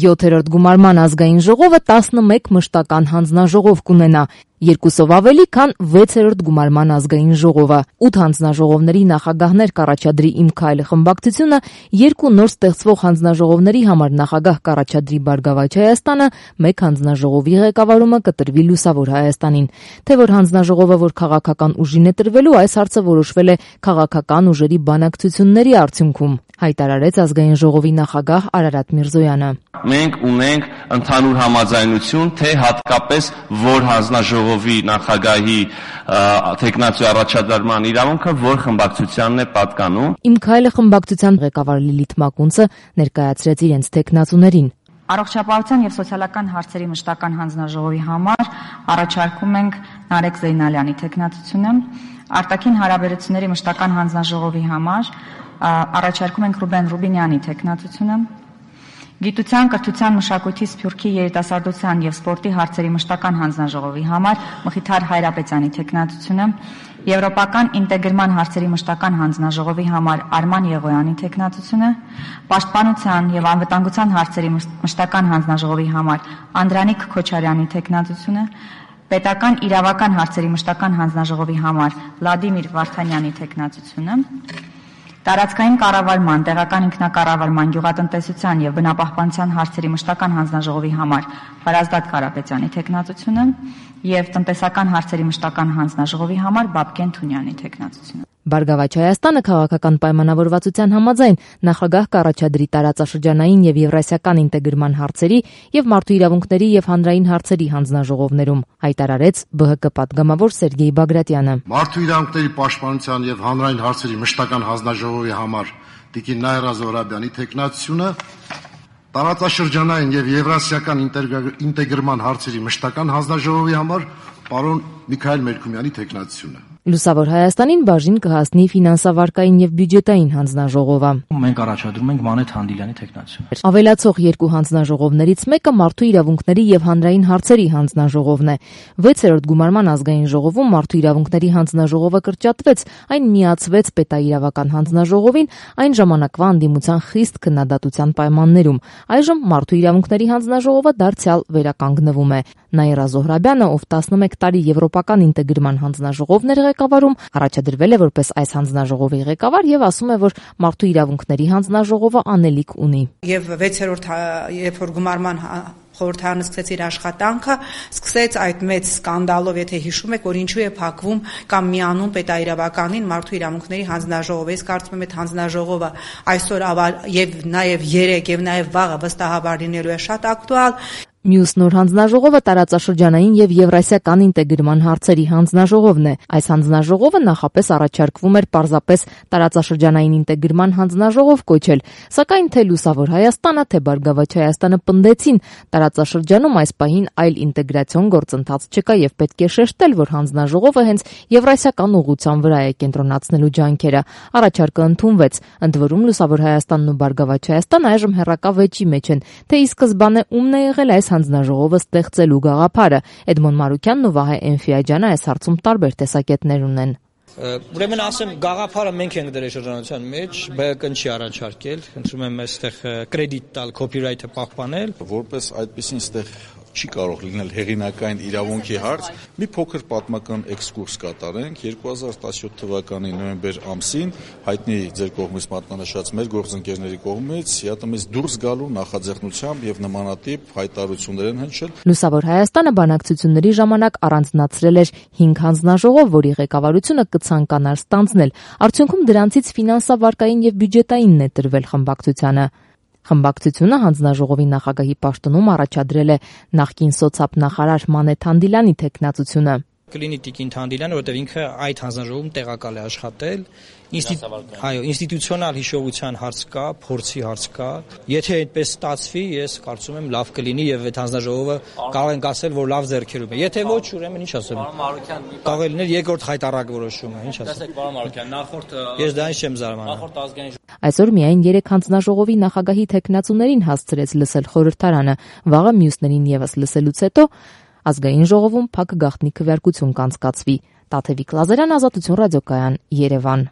7-րդ գումարման ազգային ժողովը 11 մշտական հանձնաժողով կունենա, երկուսով ավելի, քան 6-րդ գումարման ազգային ժողովը։ 8 հանձնաժողովների նախագահներ կառաջադրի «Իմ քայլը» խմբակցությունը, 2 նոր ստեղծվող հանձնաժողովների համար նախագահ կառաջադրի «Բարգավաճ Հայաստանը», 1 հանձնաժողովի ղեկավարումը կտրվի «Լուսավոր Հայաստանին»։ Թե որ հանձնաժողովը որ քաղաքական ուժին է տրվելու, այս հարցը որոշվել է քաղաքական ուժերի բանակցությունների արդյունքում, հայտարարեց ազգային ժողովի նախագահ Արարատ Միրզոյանը։ Մենք ունենք ընդհանուր համաձայնություն, թե հատկապես որ հանձնաժողովի նախագահի թեկնածու առաջադրման իրավունքը որ խմբակցությանն է պատկանում։ «Իմ քայլը» խմբակցության ղեկավար Լիլիթ Մակունցը ներկայացրեց իրենց թեկնածուներին։ Առողջապահության եւ սոցիալական հարցերի մշտական հանձնաժողովի համար առաջարկում ենք Նարեկ Զեյնալյանի թեկնածությունը, արտաքին հարաբերությունների մշտական հանձնաժողովի համար առաջարկում ենք Ռուբեն Ռուբինյանի թեկնածությունը, Գիտության, կրթության, մշակույթի, սփյուռքի, երիտասարդության եւ սպորտի հարցերի մշտական հանձնաժողովի համար Մխիթար Հայրապետյանի թեկնածությունը, Եվրոպական ինտեգրման հարցերի մշտական հանձնաժողովի համար Արման Եղոյանի թեկնածությունը, Պաշտպանության եւ անվտանգության հարցերի մշտական հանձնաժողովի համար Անդրանիկ Քոչարյանի թեկնածությունը, Պետական իրավական հարցերի մշտական հանձնաժողովի համար Վլադիմիր Վարդանյանի թեկնածությունը, Տարածքային կառավարման, տեղական ինքնակառավարման, գյուղատնտեսության եւ բնապահպանության հարցերի մշտական հանձնաժողովի համար Վարազդատ Կարապետյանի թեկնածությունը եւ տնտեսական հարցերի մշտական հանձնաժողովի համար Բաբկեն Թունյանի թեկնածությունը։ Բարգավաճ Հայաստանը քաղաքական պայմանավորվածության համաձայն նախագահ կառաջադրի տարածաշրջանային եւ եվրասիական ինտեգրման հարցերի եւ մարդու իրավունքների եւ հանրային հարցերի հանձնաժողովներում, հայտարարեց ԲՀԿ պատգամավոր Սերգեյ Բագրատյանը։ Մարդու իրավունքների պաշտպանության եւ հանրային հարցերի մշտական հանձնաժողովի համար Տիկին Նայրա Զոհրաբյանի թեկնածությունը, տարածաշրջանային եւ եվրասիական ինտեգրման հարցերի մշտական հանձնաժողովի համար պարոն Միքայել Մերկումյանի թեկնածությունը։ Լուսավոր Հայաստանին բաժին կհասնի ֆինանսավարկային եւ բյուջետային հանձնաժողովը։ Մենք առաջադրում ենք Մանեթ Հանդիլյանի թեկնածությունը։ Ավելացող 2 հանձնաժողովներից մեկը մարդու իրավունքների եւ հանրային հարցերի հանձնաժողովն է։ 6-րդ գումարման ազգային ժողովում մարդու իրավունքների հանձնաժողովը կրճատվեց, այն միացվեց պետաիրավական հանձնաժողովին այն ժամանակվա անդիմության խիստ քննադատության պայմաններում։ Այժմ մարդու իրավունքների հանձնաժողովը դարձյալ վերականգնվում է։ Նայրա Զոհրաբյանը, ով 11 տարի եվրոպական ինտեգրման հանձնաժողովներ ղեկավարում, առաջադրվել է որպես այս հանձնաժողովի ղեկավար եւ ասում է, որ մարդու իրավունքների հանձնաժողովը անելիք ունի։ Եվ 6-րդ երբ որ գումարման խորհրդարանը սկսեց իր աշխատանքը, սկսեց այդ մեծ սկանդալով, եթե հիշում եք, որ ինչու է փակվում կամ միանում պետաիրավականին մարդու իրավունքների հանձնաժողովը։ Ես կարծում եմ, այդ հանձնաժողովը այսօր եւ նաեւ երեք եւ նաեւ վաղը վստահաբար լինելու է շատ ակտուալ։ Մյուս նոր հանձնաժողովը տարածաշրջանային եւ եվրասիական ինտեգրման հարցերի հանձնաժողովն է։ Այս հանձնաժողովը նախապես առաջարկվում էր պարզապես տարածաշրջանային ինտեգրման հանձնաժողով կոչել, սակայն թե Լուսավոր Հայաստանը, թե Բարգավաճ Հայաստանը պնդեցին, տարածաշրջանում այս պահին այլ ինտեգրացիոն գործընթաց չկա եւ պետք է շեշտել, որ հանձնաժողովը հենց եվրասիական ուղղության վրա է կենտրոնացնելու ջանքերը։ Առաջարկը ընդունվեց, ընդ որում Լուսավոր Հայաստանն ու Բարգավաճ Հայաստանը այժմ հեռակա վեճի մեջ են, թե ի սկզբանե ումն է եղել այս հանձնաժողովը ստեղծելու գաղափարը։ Էդմոն Մարուկյանն ու Վահե Էնֆիաջյանը այս հարցում տարբեր տեսակետներ ունեն։ Ուրեմն ասեմ, գաղափարը մենք ենք դրել շրջանության մեջ, ԲՀԿ-ն չի առաջարկել, խնդրում եմ այստեղ կրեդիտ տալ, քոփիրայթը պահպանել։ Որպես այդպեսին այստեղ չի կարող լինել հեղինակային իրավունքի հարց, մի փոքր պատմական էքսկուրս կատարենք 2017 թվականի նոյեմբեր ամսին հայտնի ձեր կողմից մատնանշած մեր գործընկերների կողմից ՀԱՏՄ-ից դուրս գալու նախաձեռնությամբ եւ նմանատիպ հայտարարություններ են հնչել։ Լուսավոր Հայաստանը բանակցությունների ժամանակ առանձնացրել էր 5 հանձնաժողով, որի ղեկավարությունը կցանկանար ստանձնել։ Արդյունքում դրանցից ֆինանսավարկային եւ բյուջետայինն է տրվել խմբակցությանը։ Խմբակցությունը հանձնաժողովի նախագահի պաշտոնում առաջադրել է նախկին սոցիալ-նախարար Մանեթ Հանդիլյանի թեկնածությունը։ Կլինի Տիկին Հանդիլյանը, որտեղ ինքը այդ հանձնաժողովում տեղակալ է աշխատել, ինստիտուցիոնալ հիշողության հարց կա, փորձի հարց կա։ Եթե այդպես ստացվի, ես կարծում եմ լավ կլինի եւ այդ հանձնաժողովը կարող ենք ասել, որ լավ ձեռքերում է։ Եթե ոչ, ուրեմն ինչ ասեմ։ Կարող է լինել երկրորդ հայտարարակ որոշումը, ինչ ասեմ։ Տեսեք, պարոն Մարուկյան, նախորդ ես դրանից չեմ զարմանում։ Նախորդ ազգային Այսօր միայն 3 հանձնաժողովի նախագահի թեկնածուներին հասցրեց լսել խորհրդարանը, վաղը մյուսներին եւս լսելուց հետո ազգային ժողովում փակ գաղտնի քվեարկություն կանցկացվի։ Տաթևիկ Լազարյան, Ազատություն ռադիոկայան, Երևան։